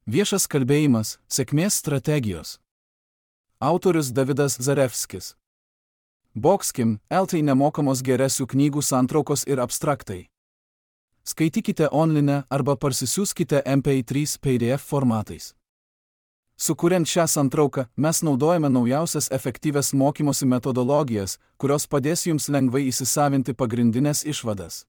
Viešas kalbėjimas – sėkmės strategijos. Autorius Davidas Zarevskis. Boxkim, LT nemokamos geresių knygų santraukos ir abstraktai. Skaitykite online arba parsisiųskite MP3 PDF formatais. Sukuriant šią santrauką, mes naudojame naujausias efektyvias mokymosi metodologijas, kurios padės jums lengvai įsisavinti pagrindinės išvadas.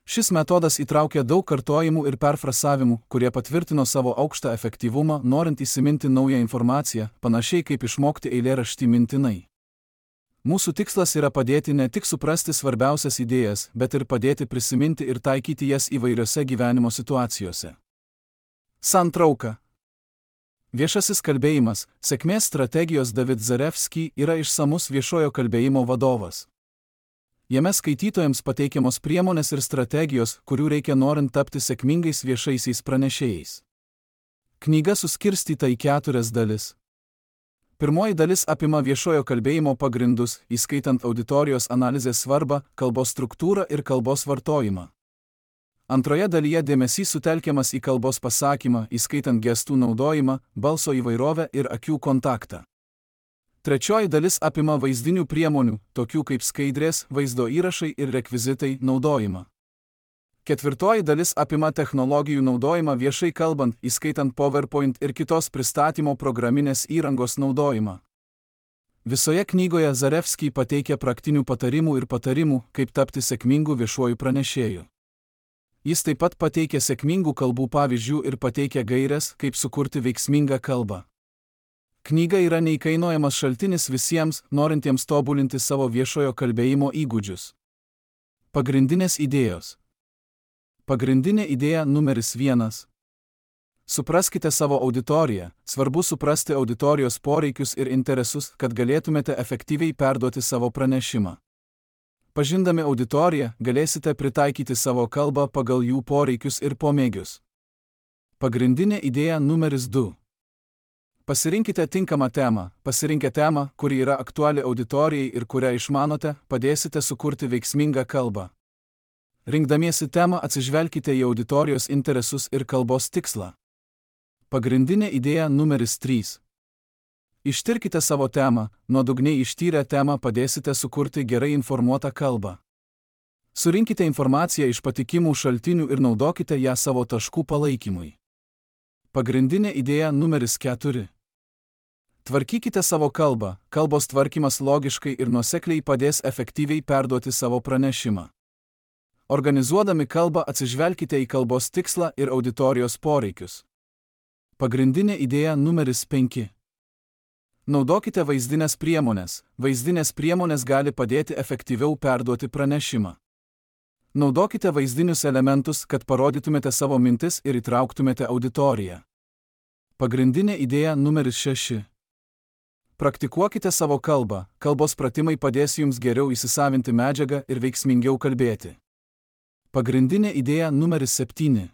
Šis metodas įtraukia daug kartojimų ir perfrasavimų, kurie patvirtino savo aukštą efektyvumą, norint įsiminti naują informaciją, panašiai kaip išmokti eilėraštį mintinai. Mūsų tikslas yra padėti ne tik suprasti svarbiausias idėjas, bet ir padėti prisiminti ir taikyti jas įvairiose gyvenimo situacijose. Santrauka. Viešasis kalbėjimas – sėkmės strategijos. David Zarevskis yra išsamus viešojo kalbėjimo vadovas. Jame skaitytojams pateikiamos priemonės ir strategijos, kurių reikia norint tapti sėkmingais viešaisiais pranešėjais. Knyga suskirstyta į 4 dalis. Pirmoji dalis apima viešojo kalbėjimo pagrindus, įskaitant auditorijos analizės svarbą, kalbos struktūrą ir kalbos vartojimą. Antroje dalyje dėmesys sutelkiamas į kalbos pasakymą, įskaitant gestų naudojimą, balso įvairovę ir akių kontaktą. Trečioji dalis apima vaizdinių priemonių, tokių kaip skaidrės, vaizdo įrašai ir rekvizitai naudojimą. Ketvirtoji dalis apima technologijų naudojimą viešai kalbant, įskaitant PowerPoint ir kitos pristatymo programinės įrangos naudojimą. Visoje knygoje Zarevskis pateikia praktinių patarimų ir patarimų, kaip tapti sėkmingu viešuoju pranešėju. Jis taip pat pateikia sėkmingų kalbų pavyzdžių ir pateikia gaires, kaip sukurti veiksmingą kalbą. Knyga yra neįkainojamas šaltinis visiems, norintiems tobulinti savo viešojo kalbėjimo įgūdžius. Pagrindinės idėjos. Pagrindinė idėja numeris 1. Supraskite savo auditoriją. Svarbu suprasti auditorijos poreikius ir interesus, kad galėtumėte efektyviai perduoti savo pranešimą. Pažindami auditoriją, galėsite pritaikyti savo kalbą pagal jų poreikius ir pomėgius. Pagrindinė idėja numeris 2. Pasirinkite tinkamą temą. Pasirinkę temą, kuri yra aktuali auditorijai ir kurią išmanote, padėsite sukurti veiksmingą kalbą. Rinkdamiesi temą atsižvelkite į auditorijos interesus ir kalbos tikslą. Pagrindinė idėja numeris 3. Ištirkite savo temą, nuodugniai ištyrę temą padėsite sukurti gerai informuotą kalbą. Surinkite informaciją iš patikimų šaltinių ir naudokite ją savo taškų palaikymui. Pagrindinė idėja numeris 4. Tvarkykite savo kalbą. Kalbos tvarkymas logiškai ir nuosekliai padės efektyviai perduoti savo pranešimą. Organizuodami kalbą atsižvelkite į kalbos tikslą ir auditorijos poreikius. Pagrindinė idėja numeris 5. Naudokite vaizdinės priemonės. Vaizdinės priemonės gali padėti efektyviau perduoti pranešimą. Naudokite vaizdinius elementus, kad parodytumėte savo mintis ir įtrauktumėte auditoriją. Pagrindinė idėja numeris 6. Praktikuokite savo kalbą. Kalbos pratimai padės jums geriau įsisavinti medžiagą ir veiksmingiau kalbėti. Pagrindinė idėja numeris 7.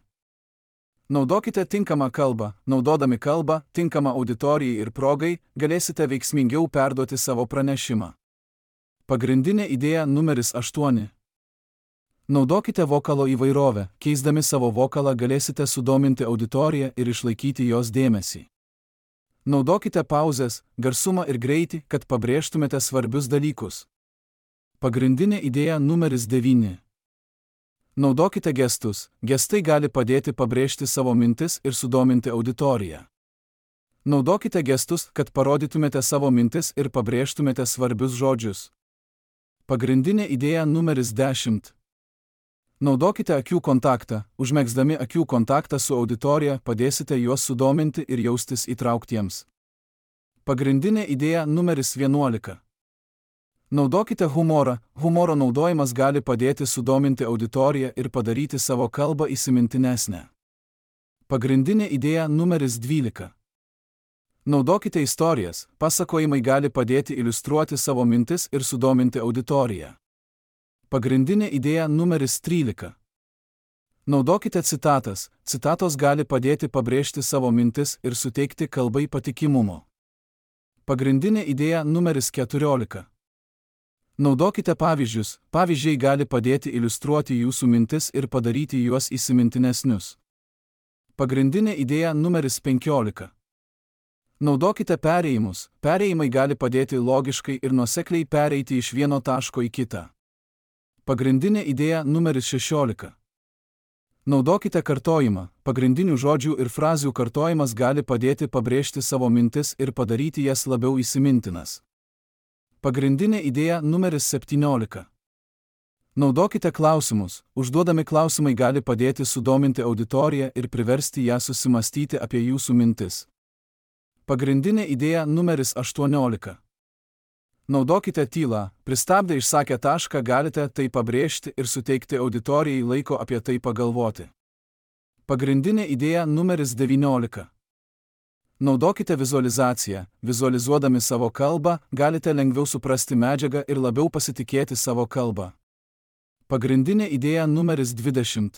Naudokite tinkamą kalbą. Naudodami kalbą, tinkamą auditorijai ir progai, galėsite veiksmingiau perduoti savo pranešimą. Pagrindinė idėja numeris 8. Naudokite vokalo įvairovę. Keisdami savo vokalą galėsite sudominti auditoriją ir išlaikyti jos dėmesį. Naudokite pauzes, garsumą ir greitį, kad pabrėžtumėte svarbius dalykus. Pagrindinė idėja numeris 9. Naudokite gestus. Gestai gali padėti pabrėžti savo mintis ir sudominti auditoriją. Naudokite gestus, kad parodytumėte savo mintis ir pabrėžtumėte svarbius žodžius. Pagrindinė idėja numeris 10. Naudokite akių kontaktą. Užmegzdami akių kontaktą su auditorija padėsite juos sudominti ir jaustis įtrauktiems. Pagrindinė idėja numeris 11. Naudokite humorą. Humoro naudojimas gali padėti sudominti auditoriją ir padaryti savo kalbą įsimintinesnę. Pagrindinė idėja numeris 12. Naudokite istorijas. Pasakojimai gali padėti iliustruoti savo mintis ir sudominti auditoriją. Pagrindinė idėja numeris 13. Naudokite citatas. Citatos gali padėti pabrėžti savo mintis ir suteikti kalbai patikimumo. Pagrindinė idėja numeris 14. Naudokite pavyzdžius. Pavyzdžiai gali padėti iliustruoti jūsų mintis ir padaryti juos įsimintinesnius. Pagrindinė idėja numeris 15. Naudokite perėjimus. Perėjimai gali padėti logiškai ir nuosekliai pereiti iš vieno taško į kitą. Pagrindinė idėja numeris 16. Naudokite kartojimą. Pagrindinių žodžių ir frazių kartojimas gali padėti pabrėžti savo mintis ir padaryti jas labiau įsimintinas. Pagrindinė idėja numeris 17. Naudokite klausimus. Užduodami klausimai gali padėti sudominti auditoriją ir priversti ją susimastyti apie jūsų mintis. Pagrindinė idėja numeris 18. Naudokite tylą. Pristabdę išsakę tašką galite tai pabrėžti ir suteikti auditorijai laiko apie tai pagalvoti. Pagrindinė idėja numeris 19. Naudokite vizualizaciją. Vizualizuodami savo kalbą, galite lengviau suprasti medžiagą ir labiau pasitikėti savo kalbą. Pagrindinė idėja numeris 20.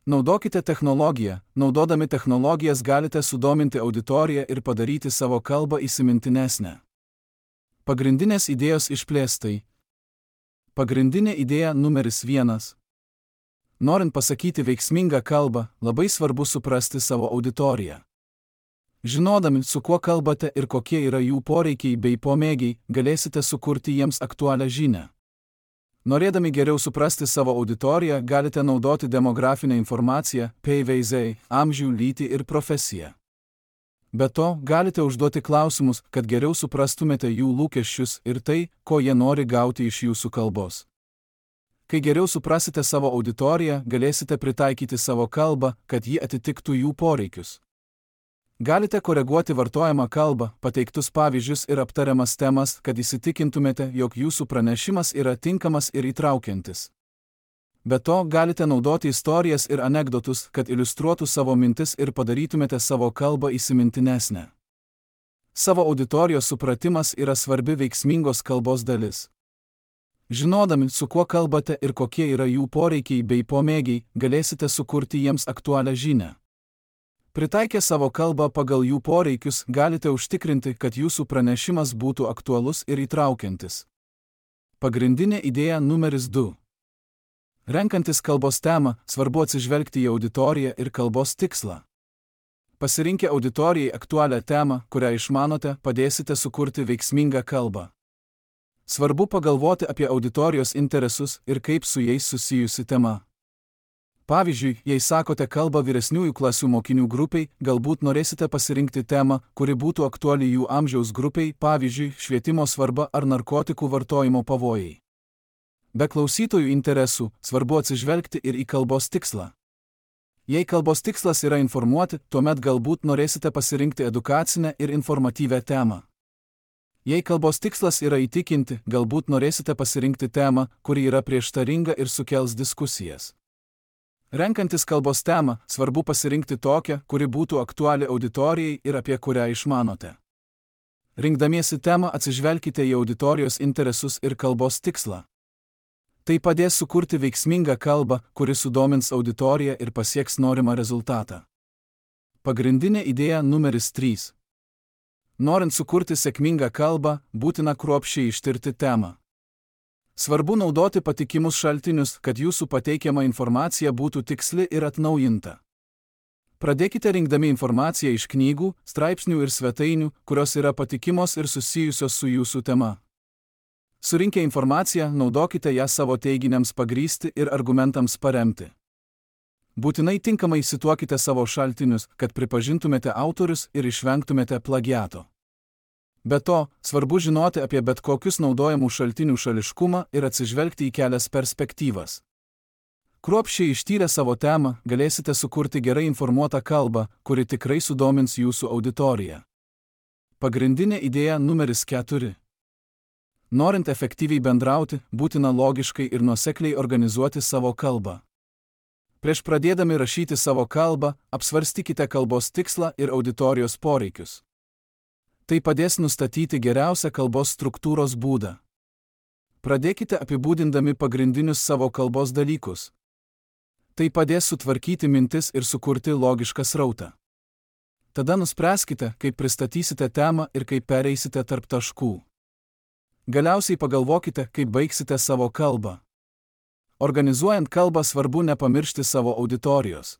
Naudokite technologiją. Naudodami technologijas galite sudominti auditoriją ir padaryti savo kalbą įsimintinesnę. Pagrindinės idėjos išplėstai. Pagrindinė idėja numeris 1. Norint pasakyti veiksmingą kalbą, labai svarbu suprasti savo auditoriją. Žinodami, su kuo kalbate ir kokie yra jų poreikiai bei pomėgiai, galėsite sukurti jiems aktualią žinią. Norėdami geriau suprasti savo auditoriją, galite naudoti demografinę informaciją, PVZ, amžių, lytį ir profesiją. Be to, galite užduoti klausimus, kad geriau suprastumėte jų lūkesčius ir tai, ko jie nori gauti iš jūsų kalbos. Kai geriau suprasite savo auditoriją, galėsite pritaikyti savo kalbą, kad ji atitiktų jų poreikius. Galite koreguoti vartojamą kalbą, pateiktus pavyzdžius ir aptariamas temas, kad įsitikintumėte, jog jūsų pranešimas yra tinkamas ir įtraukiantis. Be to, galite naudoti istorijas ir anekdotus, kad iliustruotų savo mintis ir padarytumėte savo kalbą įsimintinesnę. Savo auditorijos supratimas yra svarbi veiksmingos kalbos dalis. Žinodami, su kuo kalbate ir kokie yra jų poreikiai bei pomėgiai, galėsite sukurti jiems aktualią žinią. Pritaikę savo kalbą pagal jų poreikius, galite užtikrinti, kad jūsų pranešimas būtų aktualus ir įtraukiantis. Pagrindinė idėja numeris 2. Renkantis kalbos temą, svarbu atsižvelgti į auditoriją ir kalbos tikslą. Pasirinkę auditorijai aktualią temą, kurią išmanote, padėsite sukurti veiksmingą kalbą. Svarbu pagalvoti apie auditorijos interesus ir kaip su jais susijusi tema. Pavyzdžiui, jei sakote kalbą vyresniųjų klasių mokinių grupiai, galbūt norėsite pasirinkti temą, kuri būtų aktuali jų amžiaus grupiai, pavyzdžiui, švietimo svarba ar narkotikų vartojimo pavojai. Be klausytojų interesų, svarbu atsižvelgti ir į kalbos tikslą. Jei kalbos tikslas yra informuoti, tuomet galbūt norėsite pasirinkti edukacinę ir informatyvią temą. Jei kalbos tikslas yra įtikinti, galbūt norėsite pasirinkti temą, kuri yra prieštaringa ir sukels diskusijas. Renkantis kalbos temą, svarbu pasirinkti tokią, kuri būtų aktuali auditorijai ir apie kurią išmanote. Rinkdamiesi temą atsižvelkite į auditorijos interesus ir kalbos tikslą. Tai padės sukurti veiksmingą kalbą, kuri sudomins auditoriją ir pasieks norimą rezultatą. Pagrindinė idėja numeris 3. Norint sukurti sėkmingą kalbą, būtina kruopščiai ištirti temą. Svarbu naudoti patikimus šaltinius, kad jūsų pateikiama informacija būtų tiksli ir atnaujinta. Pradėkite rinkdami informaciją iš knygų, straipsnių ir svetainių, kurios yra patikimos ir susijusios su jūsų tema. Surinkę informaciją, naudokite ją savo teiginiams pagrįsti ir argumentams paremti. Būtinai tinkamai cituokite savo šaltinius, kad pripažintumėte autorius ir išvengtumėte plagiato. Be to, svarbu žinoti apie bet kokius naudojamų šaltinių šališkumą ir atsižvelgti į kelias perspektyvas. Kruopščiai ištyrę savo temą, galėsite sukurti gerai informuotą kalbą, kuri tikrai sudomins jūsų auditoriją. Pagrindinė idėja numeris 4. Norint efektyviai bendrauti, būtina logiškai ir nuosekliai organizuoti savo kalbą. Prieš pradėdami rašyti savo kalbą, apsvarstykite kalbos tikslą ir auditorijos poreikius. Tai padės nustatyti geriausią kalbos struktūros būdą. Pradėkite apibūdindami pagrindinius savo kalbos dalykus. Tai padės sutvarkyti mintis ir sukurti logišką srautą. Tada nuspręskite, kaip pristatysite temą ir kaip pereisite tarp taškų. Galiausiai pagalvokite, kaip baigsite savo kalbą. Organizuojant kalbą svarbu nepamiršti savo auditorijos.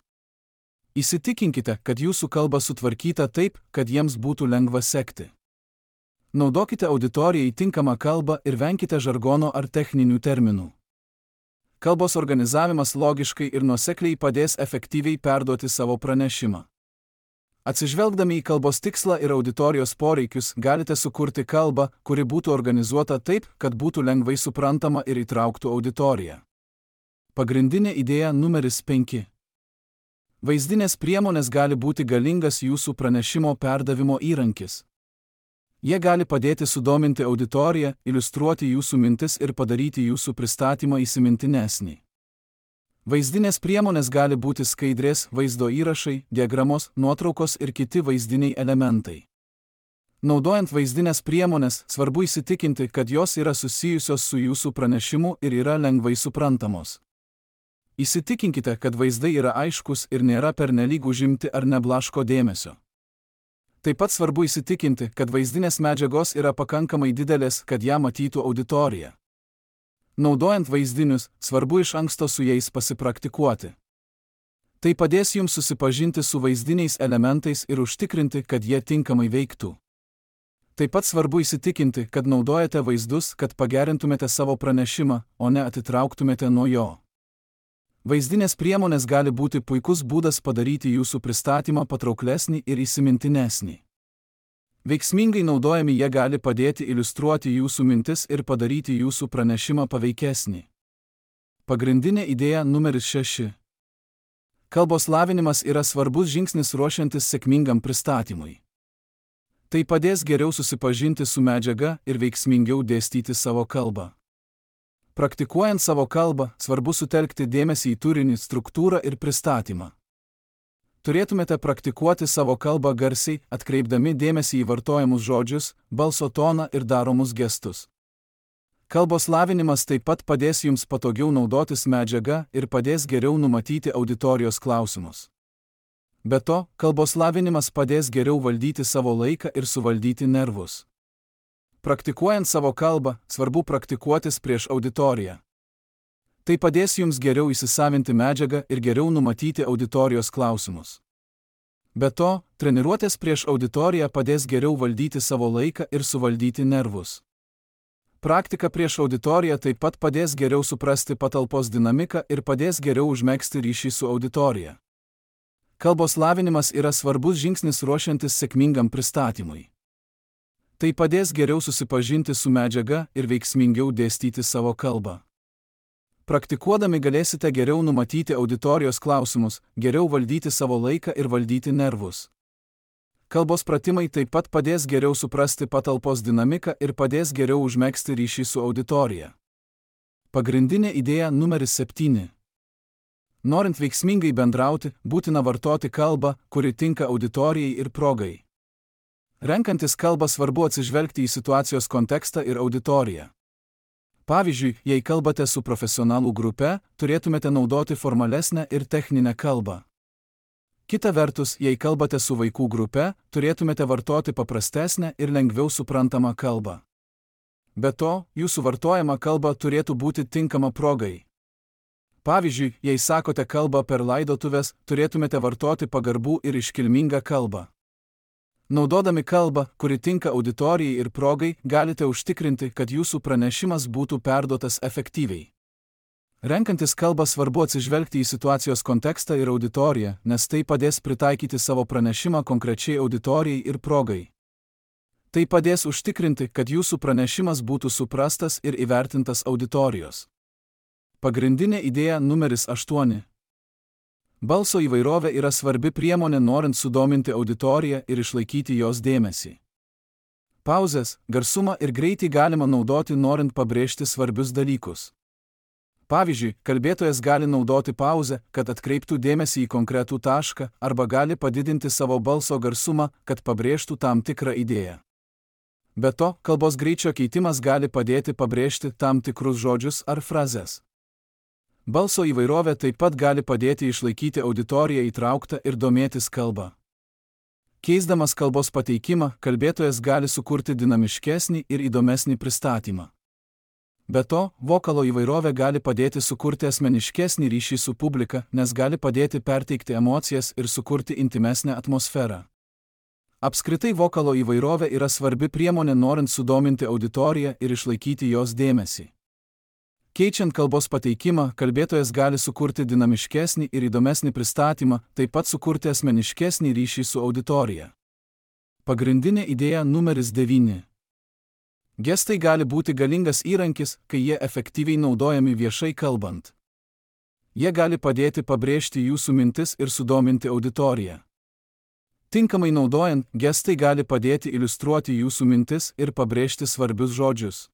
Įsitikinkite, kad jūsų kalba sutvarkyta taip, kad jiems būtų lengva sekti. Naudokite auditorijai tinkamą kalbą ir venkite žargono ar techninių terminų. Kalbos organizavimas logiškai ir nuosekliai padės efektyviai perduoti savo pranešimą. Atsižvelgdami į kalbos tikslą ir auditorijos poreikius, galite sukurti kalbą, kuri būtų organizuota taip, kad būtų lengvai suprantama ir įtrauktų auditoriją. Pagrindinė idėja numeris 5. Vaizdinės priemonės gali būti galingas jūsų pranešimo perdavimo įrankis. Jie gali padėti sudominti auditoriją, iliustruoti jūsų mintis ir padaryti jūsų pristatymą įsimintinesnį. Vaizdinės priemonės gali būti skaidrės, vaizdo įrašai, diagramos, nuotraukos ir kiti vaizdiniai elementai. Naudojant vaizdinės priemonės, svarbu įsitikinti, kad jos yra susijusios su jūsų pranešimu ir yra lengvai suprantamos. Įsitikinkite, kad vaizdai yra aiškus ir nėra pernelyg užimti ar neblaško dėmesio. Taip pat svarbu įsitikinti, kad vaizdinės medžiagos yra pakankamai didelės, kad ją matytų auditorija. Naudojant vaizdinius, svarbu iš anksto su jais pasipraktikuoti. Tai padės jums susipažinti su vaizdiniais elementais ir užtikrinti, kad jie tinkamai veiktų. Taip pat svarbu įsitikinti, kad naudojate vaizdus, kad pagerintumėte savo pranešimą, o ne atitrauktumėte nuo jo. Vaizdinės priemonės gali būti puikus būdas padaryti jūsų pristatymą patrauklesnį ir įsimintinesnį. Veiksmingai naudojami jie gali padėti iliustruoti jūsų mintis ir padaryti jūsų pranešimą paveikesnį. Pagrindinė idėja numeris 6. Kalbos lavinimas yra svarbus žingsnis ruošiantis sėkmingam pristatymui. Tai padės geriau susipažinti su medžiaga ir veiksmingiau dėstyti savo kalbą. Praktikuojant savo kalbą, svarbu sutelkti dėmesį į turinį, struktūrą ir pristatymą. Turėtumėte praktikuoti savo kalbą garsiai, atkreipdami dėmesį į vartojamus žodžius, balso toną ir daromus gestus. Kalbos lavinimas taip pat padės jums patogiau naudotis medžiaga ir padės geriau numatyti auditorijos klausimus. Be to, kalbos lavinimas padės geriau valdyti savo laiką ir suvaldyti nervus. Praktikuojant savo kalbą, svarbu praktikuotis prieš auditoriją. Tai padės jums geriau įsisavinti medžiagą ir geriau numatyti auditorijos klausimus. Be to, treniruotės prieš auditoriją padės geriau valdyti savo laiką ir suvaldyti nervus. Praktika prieš auditoriją taip pat padės geriau suprasti patalpos dinamiką ir padės geriau užmegzti ryšį su auditorija. Kalbos lavinimas yra svarbus žingsnis ruošiantis sėkmingam pristatymui. Tai padės geriau susipažinti su medžiaga ir veiksmingiau dėstyti savo kalbą. Praktikuodami galėsite geriau numatyti auditorijos klausimus, geriau valdyti savo laiką ir valdyti nervus. Kalbos pratimai taip pat padės geriau suprasti patalpos dinamiką ir padės geriau užmegzti ryšį su auditorija. Pagrindinė idėja numeris 7. Norint veiksmingai bendrauti, būtina vartoti kalbą, kuri tinka auditorijai ir progai. Renkantis kalbą svarbu atsižvelgti į situacijos kontekstą ir auditoriją. Pavyzdžiui, jei kalbate su profesionalų grupe, turėtumėte naudoti formalesnę ir techninę kalbą. Kita vertus, jei kalbate su vaikų grupe, turėtumėte vartoti paprastesnę ir lengviau suprantamą kalbą. Be to, jūsų vartojama kalba turėtų būti tinkama progai. Pavyzdžiui, jei sakote kalbą per laidotuves, turėtumėte vartoti pagarbų ir iškilmingą kalbą. Naudodami kalbą, kuri tinka auditorijai ir progai, galite užtikrinti, kad jūsų pranešimas būtų perduotas efektyviai. Renkantis kalbą svarbu atsižvelgti į situacijos kontekstą ir auditoriją, nes tai padės pritaikyti savo pranešimą konkrečiai auditorijai ir progai. Tai padės užtikrinti, kad jūsų pranešimas būtų suprastas ir įvertintas auditorijos. Pagrindinė idėja numeris 8. Balso įvairovė yra svarbi priemonė norint sudominti auditoriją ir išlaikyti jos dėmesį. Pauzes, garsumą ir greitį galima naudoti norint pabrėžti svarbius dalykus. Pavyzdžiui, kalbėtojas gali naudoti pauzę, kad atkreiptų dėmesį į konkretų tašką, arba gali padidinti savo balso garsumą, kad pabrėžtų tam tikrą idėją. Be to, kalbos greičio keitimas gali padėti pabrėžti tam tikrus žodžius ar frazes. Balso įvairovė taip pat gali padėti išlaikyti auditoriją įtrauktą ir domėtis kalbą. Keisdamas kalbos pateikimą, kalbėtojas gali sukurti dinamiškesnį ir įdomesnį pristatymą. Be to, vokalo įvairovė gali padėti sukurti asmeniškesnį ryšį su publika, nes gali padėti perteikti emocijas ir sukurti intimesnę atmosferą. Apskritai vokalo įvairovė yra svarbi priemonė norint sudominti auditoriją ir išlaikyti jos dėmesį. Keičiant kalbos pateikimą, kalbėtojas gali sukurti dinamiškesnį ir įdomesnį pristatymą, taip pat sukurti asmeniškesnį ryšį su auditorija. Pagrindinė idėja numeris 9. Gestai gali būti galingas įrankis, kai jie efektyviai naudojami viešai kalbant. Jie gali padėti pabrėžti jūsų mintis ir sudominti auditoriją. Tinkamai naudojant, gestai gali padėti iliustruoti jūsų mintis ir pabrėžti svarbius žodžius.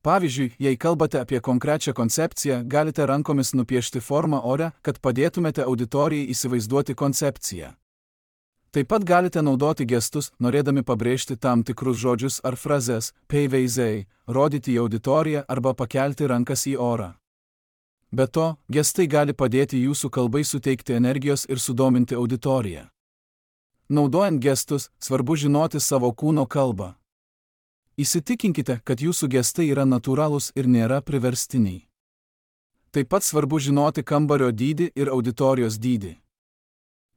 Pavyzdžiui, jei kalbate apie konkrečią koncepciją, galite rankomis nupiešti formą ore, kad padėtumėte auditorijai įsivaizduoti koncepciją. Taip pat galite naudoti gestus, norėdami pabrėžti tam tikrus žodžius ar frazes, pavyzdžiai, rodyti į auditoriją arba pakelti rankas į orą. Be to, gestai gali padėti jūsų kalbai suteikti energijos ir sudominti auditoriją. Naudojant gestus, svarbu žinoti savo kūno kalbą. Įsitikinkite, kad jūsų gestai yra natūralūs ir nėra priverstiniai. Taip pat svarbu žinoti kambario dydį ir auditorijos dydį.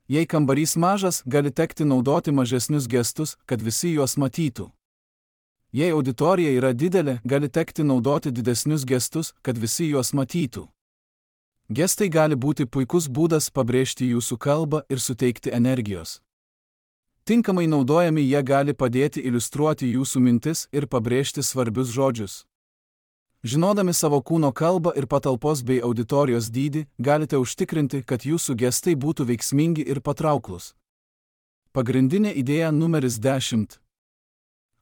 Jei kambarys mažas, gali tekti naudoti mažesnius gestus, kad visi juos matytų. Jei auditorija yra didelė, gali tekti naudoti didesnius gestus, kad visi juos matytų. Gestai gali būti puikus būdas pabrėžti jūsų kalbą ir suteikti energijos. Tinkamai naudojami jie gali padėti iliustruoti jūsų mintis ir pabrėžti svarbius žodžius. Žinodami savo kūno kalbą ir patalpos bei auditorijos dydį, galite užtikrinti, kad jūsų gestai būtų veiksmingi ir patrauklūs. Pagrindinė idėja numeris 10.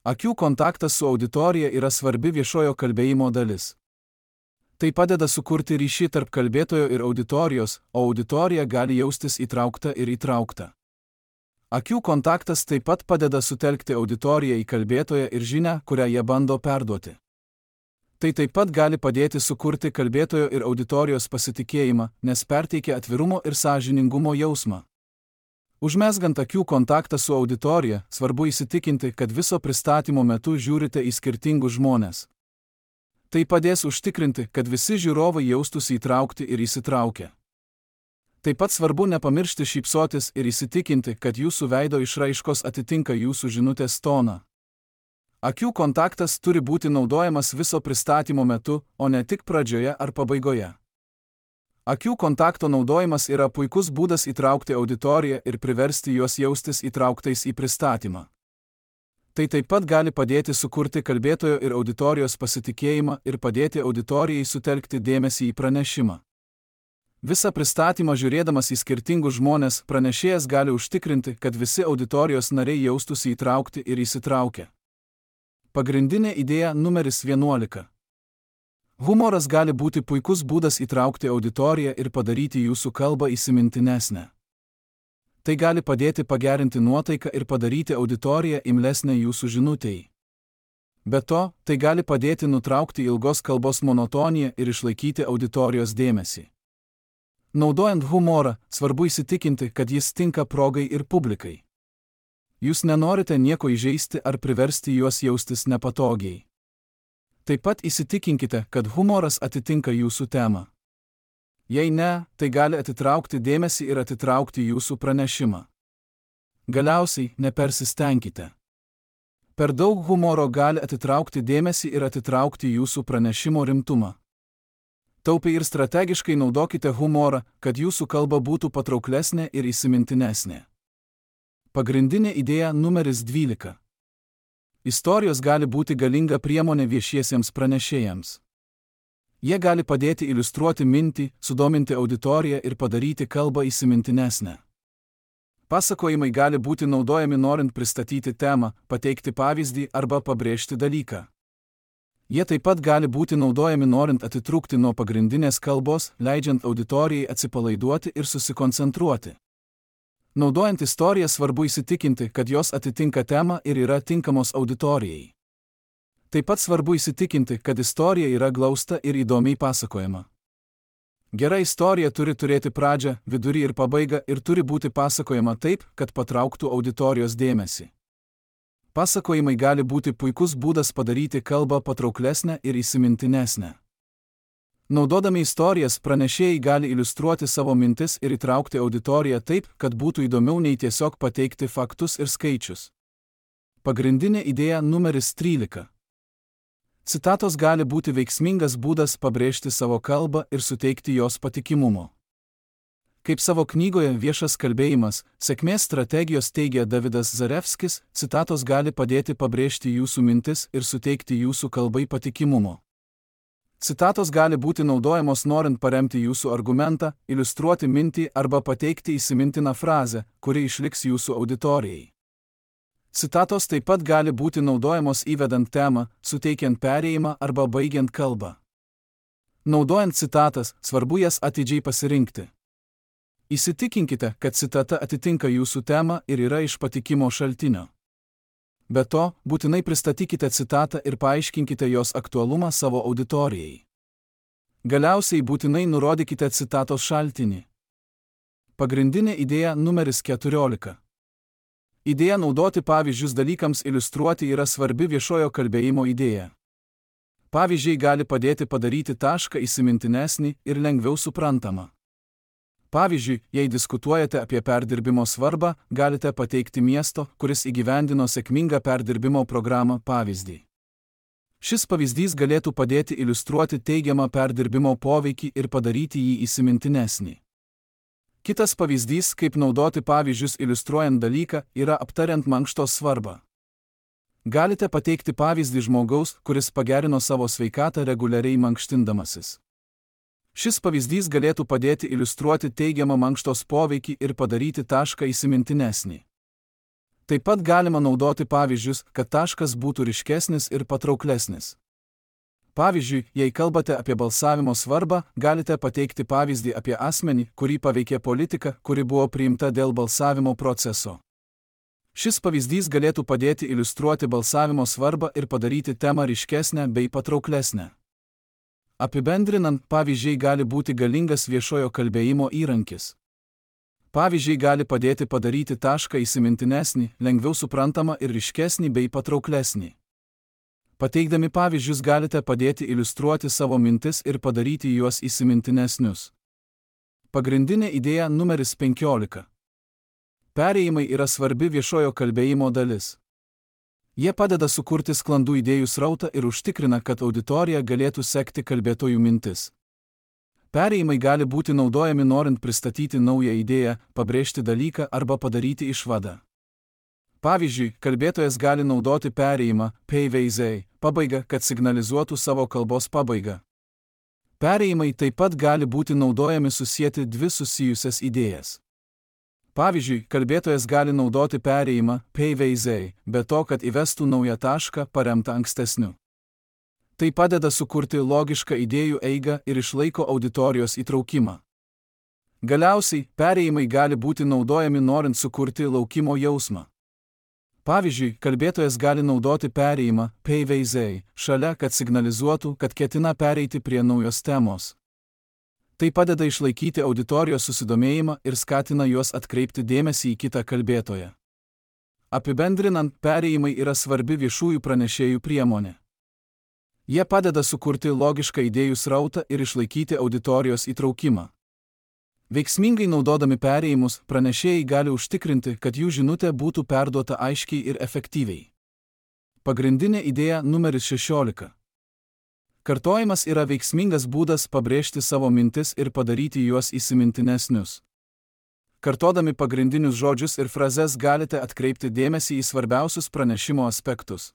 Akių kontaktas su auditorija yra svarbi viešojo kalbėjimo dalis. Tai padeda sukurti ryšį tarp kalbėtojo ir auditorijos, o auditorija gali jaustis įtraukta ir įtraukta. Akių kontaktas taip pat padeda sutelkti auditoriją į kalbėtoją ir žinią, kurią jie bando perduoti. Tai taip pat gali padėti sukurti kalbėtojo ir auditorijos pasitikėjimą, nes perteikia atvirumo ir sąžiningumo jausmą. Užmezgant akių kontaktą su auditorija, svarbu įsitikinti, kad viso pristatymo metu žiūrite į skirtingus žmones. Tai padės užtikrinti, kad visi žiūrovai jaustųsi įtraukti ir įsitraukę. Taip pat svarbu nepamiršti šypsotis ir įsitikinti, kad jūsų veido išraiškos atitinka jūsų žinutės toną. Akių kontaktas turi būti naudojamas viso pristatymo metu, o ne tik pradžioje ar pabaigoje. Akių kontakto naudojimas yra puikus būdas įtraukti auditoriją ir priversti juos jaustis įtrauktais į pristatymą. Tai taip pat gali padėti sukurti kalbėtojo ir auditorijos pasitikėjimą ir padėti auditorijai sutelkti dėmesį į pranešimą. Visą pristatymą žiūrėdamas į skirtingus žmones, pranešėjas gali užtikrinti, kad visi auditorijos nariai jaustųsi įtraukti ir įsitraukę. Pagrindinė idėja numeris 11. Humoras gali būti puikus būdas įtraukti auditoriją ir padaryti jūsų kalbą įsimintinesnę. Tai gali padėti pagerinti nuotaiką ir padaryti auditoriją imlesnę jūsų žinutei. Be to, tai gali padėti nutraukti ilgos kalbos monotoniją ir išlaikyti auditorijos dėmesį. Naudojant humorą, svarbu įsitikinti, kad jis tinka progai ir publikai. Jūs nenorite nieko įžeisti ar priversti juos jaustis nepatogiai. Taip pat įsitikinkite, kad humoras atitinka jūsų temą. Jei ne, tai gali atitraukti dėmesį ir atitraukti jūsų pranešimą. Galiausiai, nepersistengkite. Per daug humoro gali atitraukti dėmesį ir atitraukti jūsų pranešimo rimtumą. Taupiai ir strategiškai naudokite humorą, kad jūsų kalba būtų patrauklesnė ir įsimintinesnė. Pagrindinė idėja numeris 12. Istorijos gali būti galinga priemonė viešiesiems pranešėjams. Jie gali padėti iliustruoti mintį, sudominti auditoriją ir padaryti kalbą įsimintinesnę. Pasakojimai gali būti naudojami norint pristatyti temą, pateikti pavyzdį arba pabrėžti dalyką. Jie taip pat gali būti naudojami norint atitrūkti nuo pagrindinės kalbos, leidžiant auditorijai atsipalaiduoti ir susikoncentruoti. Naudojant istoriją svarbu įsitikinti, kad jos atitinka temą ir yra tinkamos auditorijai. Taip pat svarbu įsitikinti, kad istorija yra glausta ir įdomiai pasakojama. Gera istorija turi turėti pradžią, vidurį ir pabaigą ir turi būti pasakojama taip, kad patrauktų auditorijos dėmesį. Pasakojimai gali būti puikus būdas padaryti kalbą patrauklesnę ir įsimintinesnę. Naudodami istorijas, pranešėjai gali iliustruoti savo mintis ir įtraukti auditoriją taip, kad būtų įdomiau nei tiesiog pateikti faktus ir skaičius. Pagrindinė idėja numeris 13. Citatos gali būti veiksmingas būdas pabrėžti savo kalbą ir suteikti jos patikimumo. Kaip savo knygoje Viešas kalbėjimas, sėkmės strategijos teigia Davidas Zarevskis, citatos gali padėti pabrėžti jūsų mintis ir suteikti jūsų kalbai patikimumo. Citatos gali būti naudojamos norint paremti jūsų argumentą, iliustruoti mintį arba pateikti įsimintiną frazę, kuri išliks jūsų auditorijai. Citatos taip pat gali būti naudojamos įvedant temą, suteikiant perėjimą arba baigiant kalbą. Naudojant citatas, svarbu jas atidžiai pasirinkti. Įsitikinkite, kad citata atitinka jūsų temą ir yra iš patikimo šaltinio. Be to, būtinai pristatykite citatą ir paaiškinkite jos aktualumą savo auditorijai. Galiausiai būtinai nurodykite citatos šaltinį. Pagrindinė idėja numeris 14. Idėja naudoti pavyzdžius dalykams iliustruoti yra svarbi viešojo kalbėjimo idėja. Pavyzdžiai gali padėti padaryti tašką įsimintinesnį ir lengviau suprantamą. Pavyzdžiui, jei diskutuojate apie perdirbimo svarbą, galite pateikti miesto, kuris įgyvendino sėkmingą perdirbimo programą pavyzdį. Šis pavyzdys galėtų padėti iliustruoti teigiamą perdirbimo poveikį ir padaryti jį įsimintinesnį. Kitas pavyzdys, kaip naudoti pavyzdžius iliustruojant dalyką, yra aptariant mankštos svarbą. Galite pateikti pavyzdį žmogaus, kuris pagerino savo sveikatą reguliariai mankštindamasis. Šis pavyzdys galėtų padėti iliustruoti teigiamą mankštos poveikį ir padaryti tašką įsimintinesnį. Taip pat galima naudoti pavyzdžius, kad taškas būtų ryškesnis ir patrauklesnis. Pavyzdžiui, jei kalbate apie balsavimo svarbą, galite pateikti pavyzdį apie asmenį, kurį paveikė politika, kuri buvo priimta dėl balsavimo proceso. Šis pavyzdys galėtų padėti iliustruoti balsavimo svarbą ir padaryti temą ryškesnę bei patrauklesnę. Apibendrinant, pavyzdžiai gali būti galingas viešojo kalbėjimo įrankis. Pavyzdžiai gali padėti padaryti tašką įsimintinesnį, lengviau suprantamą ir ryškesnį bei patrauklesnį. Pateikdami pavyzdžius galite padėti iliustruoti savo mintis ir padaryti juos įsimintinesnius. Pagrindinė idėja numeris 15. Perėjimai yra svarbi viešojo kalbėjimo dalis. Jie padeda sukurti sklandų idėjų srautą ir užtikrina, kad auditorija galėtų sekti kalbėtojų mintis. Perėjimai gali būti naudojami norint pristatyti naują idėją, pabrėžti dalyką arba padaryti išvadą. Pavyzdžiui, kalbėtojas gali naudoti perėjimą, pabaigą, kad signalizuotų savo kalbos pabaigą. Perėjimai taip pat gali būti naudojami susieti dvi susijusias idėjas. Pavyzdžiui, kalbėtojas gali naudoti perėjimą, be to, kad įvestų naują tašką paremtą ankstesniu. Tai padeda sukurti logišką idėjų eigą ir išlaiko auditorijos įtraukimą. Galiausiai, perėjimai gali būti naudojami norint sukurti laukimo jausmą. Pavyzdžiui, kalbėtojas gali naudoti perėjimą, šalia, kad signalizuotų, kad ketina pereiti prie naujos temos. Tai padeda išlaikyti auditorijos susidomėjimą ir skatina juos atkreipti dėmesį į kitą kalbėtoją. Apibendrinant, perėjimai yra svarbi viešųjų pranešėjų priemonė. Jie padeda sukurti logišką idėjų srautą ir išlaikyti auditorijos įtraukimą. Veiksmingai naudodami perėjimus, pranešėjai gali užtikrinti, kad jų žinutė būtų perduota aiškiai ir efektyviai. Pagrindinė idėja numeris 16. Kartojimas yra veiksmingas būdas pabrėžti savo mintis ir padaryti juos įsimintinesnius. Kartodami pagrindinius žodžius ir frazes galite atkreipti dėmesį į svarbiausius pranešimo aspektus.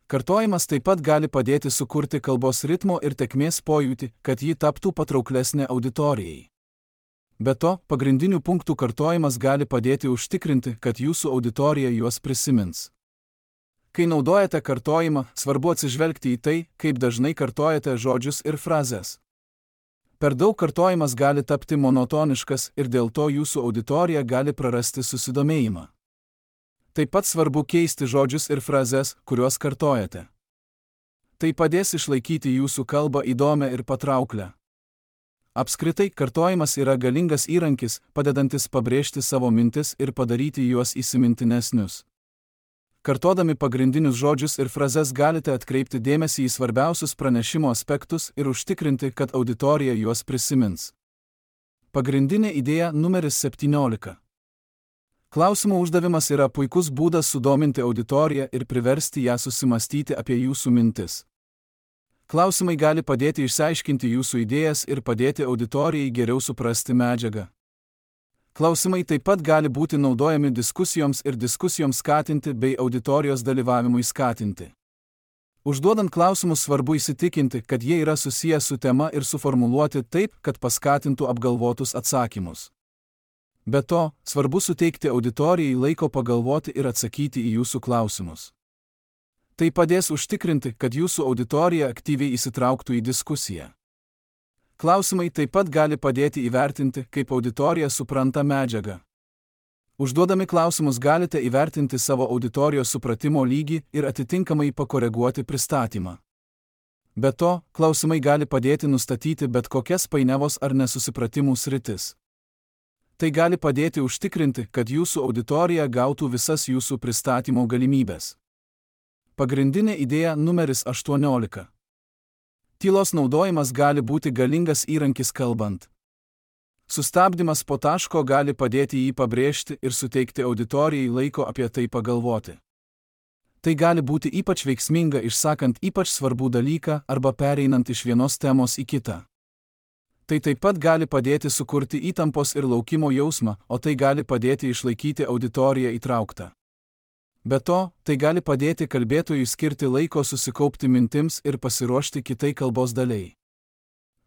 Kartojimas taip pat gali padėti sukurti kalbos ritmo ir tėkmės pojūtį, kad ji taptų patrauklesnė auditorijai. Be to, pagrindinių punktų kartojimas gali padėti užtikrinti, kad jūsų auditorija juos prisimins. Kai naudojate kartojimą, svarbu atsižvelgti į tai, kaip dažnai kartojate žodžius ir frazes. Per daug kartojimas gali tapti monotoniškas ir dėl to jūsų auditorija gali prarasti susidomėjimą. Taip pat svarbu keisti žodžius ir frazes, kuriuos kartojate. Tai padės išlaikyti jūsų kalbą įdomią ir patrauklę. Apskritai, kartojimas yra galingas įrankis, padedantis pabrėžti savo mintis ir padaryti juos įsimintinesnius. Kartodami pagrindinius žodžius ir frazes galite atkreipti dėmesį į svarbiausius pranešimo aspektus ir užtikrinti, kad auditorija juos prisimins. Pagrindinė idėja numeris 17. Klausimų uždavimas yra puikus būdas sudominti auditoriją ir priversti ją susimastyti apie jūsų mintis. Klausimai gali padėti išsiaiškinti jūsų idėjas ir padėti auditorijai geriau suprasti medžiagą. Klausimai taip pat gali būti naudojami diskusijoms skatinti bei auditorijos dalyvavimui skatinti. Užduodant klausimus svarbu įsitikinti, kad jie yra susiję su tema ir suformuluoti taip, kad paskatintų apgalvotus atsakymus. Be to, svarbu suteikti auditorijai laiko pagalvoti ir atsakyti į jūsų klausimus. Tai padės užtikrinti, kad jūsų auditorija aktyviai įsitrauktų į diskusiją. Klausimai taip pat gali padėti įvertinti, kaip auditorija supranta medžiagą. Užduodami klausimus galite įvertinti savo auditorijos supratimo lygį ir atitinkamai pakoreguoti pristatymą. Be to, klausimai gali padėti nustatyti bet kokias painiavos ar nesusipratimų sritis. Tai gali padėti užtikrinti, kad jūsų auditorija gautų visas jūsų pristatymo galimybės. Pagrindinė idėja numeris 18. Tylos naudojimas gali būti galingas įrankis kalbant. Sustabdymas po taško gali padėti jį pabrėžti ir suteikti auditorijai laiko apie tai pagalvoti. Tai gali būti ypač veiksminga išsakant ypač svarbų dalyką arba pereinant iš vienos temos į kitą. Tai taip pat gali padėti sukurti įtampos ir laukimo jausmą, o tai gali padėti išlaikyti auditoriją įtrauktą. Be to, tai gali padėti kalbėtojui skirti laiko susikaupti mintims ir pasiruošti kitai kalbos daliai.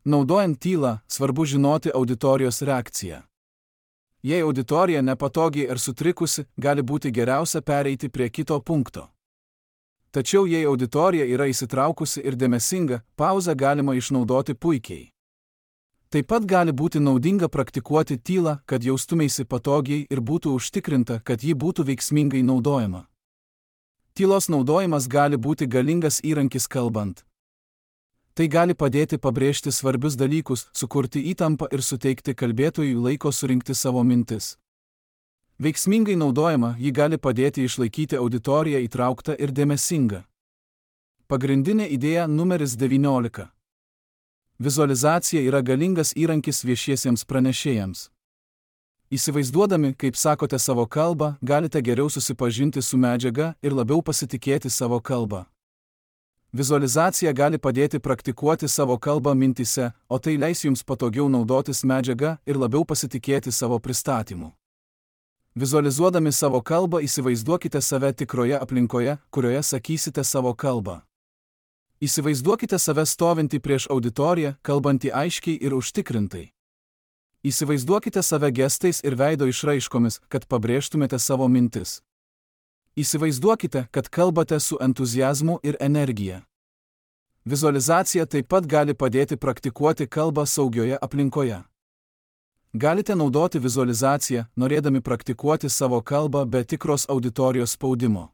Naudojant tylą, svarbu žinoti auditorijos reakciją. Jei auditorija nepatogiai ar sutrikusi, gali būti geriausia pereiti prie kito punkto. Tačiau jei auditorija yra įsitraukusi ir dėmesinga, pauzę galima išnaudoti puikiai. Taip pat gali būti naudinga praktikuoti tylą, kad jaustumeisi patogiai ir būtų užtikrinta, kad ji būtų veiksmingai naudojama. Tylos naudojimas gali būti galingas įrankis kalbant. Tai gali padėti pabrėžti svarbius dalykus, sukurti įtampą ir suteikti kalbėtojui laiko surinkti savo mintis. Veiksmingai naudojama, ji gali padėti išlaikyti auditoriją įtrauktą ir dėmesingą. Pagrindinė idėja numeris 19. Vizualizacija yra galingas įrankis viešiesiems pranešėjams. Įsivaizduodami, kaip sakote savo kalbą, galite geriau susipažinti su medžiaga ir labiau pasitikėti savo kalbą. Vizualizacija gali padėti praktikuoti savo kalbą mintise, o tai leis jums patogiau naudotis medžiaga ir labiau pasitikėti savo pristatymu. Vizualizuodami savo kalbą įsivaizduokite save tikroje aplinkoje, kurioje sakysite savo kalbą. Įsivaizduokite save stovintį prieš auditoriją, kalbantį aiškiai ir užtikrintai. Įsivaizduokite save gestais ir veido išraiškomis, kad pabrėžtumėte savo mintis. Įsivaizduokite, kad kalbate su entuziazmu ir energija. Vizualizacija taip pat gali padėti praktikuoti kalbą saugioje aplinkoje. Galite naudoti vizualizaciją, norėdami praktikuoti savo kalbą be tikros auditorijos spaudimo.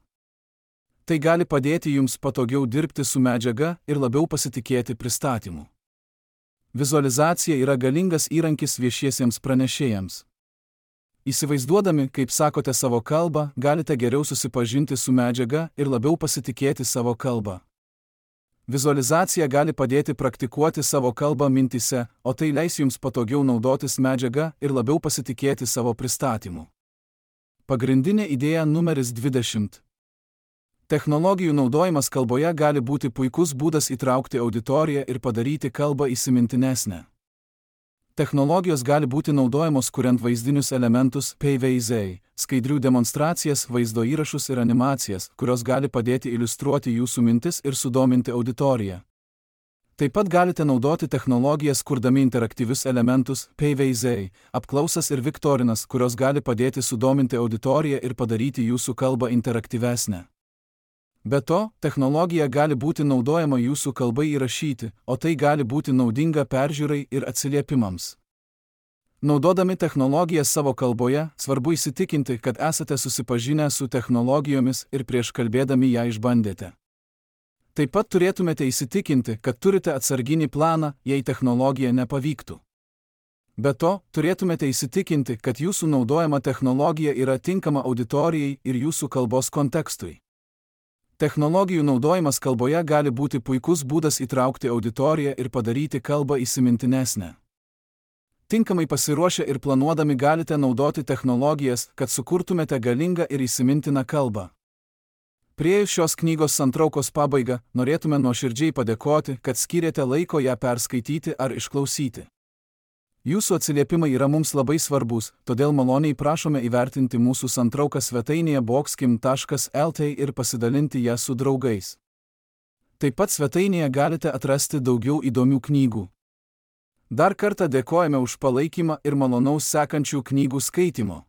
Tai gali padėti jums patogiau dirbti su medžiaga ir labiau pasitikėti pristatymu. Vizualizacija yra galingas įrankis viešiesiems pranešėjams. Įsivaizduodami, kaip sakote savo kalbą, galite geriau susipažinti su medžiaga ir labiau pasitikėti savo kalbą. Vizualizacija gali padėti praktikuoti savo kalbą mintise, o tai leis jums patogiau naudotis medžiaga ir labiau pasitikėti savo pristatymu. Pagrindinė idėja numeris 20. Technologijų naudojimas kalboje gali būti puikus būdas įtraukti auditoriją ir padaryti kalbą įsimintinesnę. Technologijos gali būti naudojamos kuriant vaizdinius elementus, PVZ, skaidrių demonstracijas, vaizdo įrašus ir animacijas, kurios gali padėti iliustruoti jūsų mintis ir sudominti auditoriją. Taip pat galite naudoti technologijas kurdami interaktyvius elementus, PVZ, apklausas ir viktorinas, kurios gali padėti sudominti auditoriją ir padaryti jūsų kalbą interaktyvesnę. Be to, technologija gali būti naudojama jūsų kalbai įrašyti, o tai gali būti naudinga peržiūrai ir atsiliepimams. Naudodami technologiją savo kalboje, svarbu įsitikinti, kad esate susipažinę su technologijomis ir prieš kalbėdami ją išbandėte. Taip pat turėtumėte įsitikinti, kad turite atsarginį planą, jei technologija nepavyktų. Be to, turėtumėte įsitikinti, kad jūsų naudojama technologija yra tinkama auditorijai ir jūsų kalbos kontekstui. Technologijų naudojimas kalboje gali būti puikus būdas įtraukti auditoriją ir padaryti kalbą įsimintinesnę. Tinkamai pasiruošę ir planuodami galite naudoti technologijas, kad sukurtumėte galingą ir įsimintiną kalbą. Priėjus šios knygos santraukos pabaigą, norėtume nuoširdžiai padėkoti, kad skyrėte laiko ją perskaityti ar išklausyti. Jūsų atsiliepimai yra mums labai svarbus, todėl maloniai prašome įvertinti mūsų santrauką svetainėje boxkim.lt ir pasidalinti ją su draugais. Taip pat svetainėje galite atrasti daugiau įdomių knygų. Dar kartą dėkojame už palaikymą ir malonaus sekančių knygų skaitymo.